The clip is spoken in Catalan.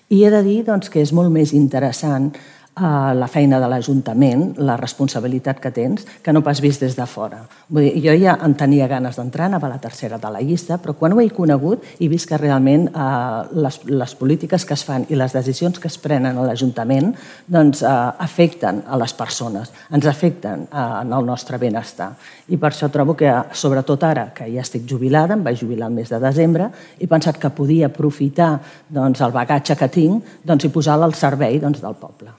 I he de dir que és molt més interessant la feina de l'Ajuntament, la responsabilitat que tens, que no pas vist des de fora. Vull dir, jo ja en tenia ganes d'entrar, anava a la tercera de la llista, però quan ho he conegut he vist que realment les polítiques que es fan i les decisions que es prenen a l'Ajuntament afecten a les persones, ens afecten en el nostre benestar. I per això trobo que, sobretot ara, que ja estic jubilada, em vaig jubilar el mes de desembre, he pensat que podia aprofitar el bagatge que tinc i posar-lo al servei del poble.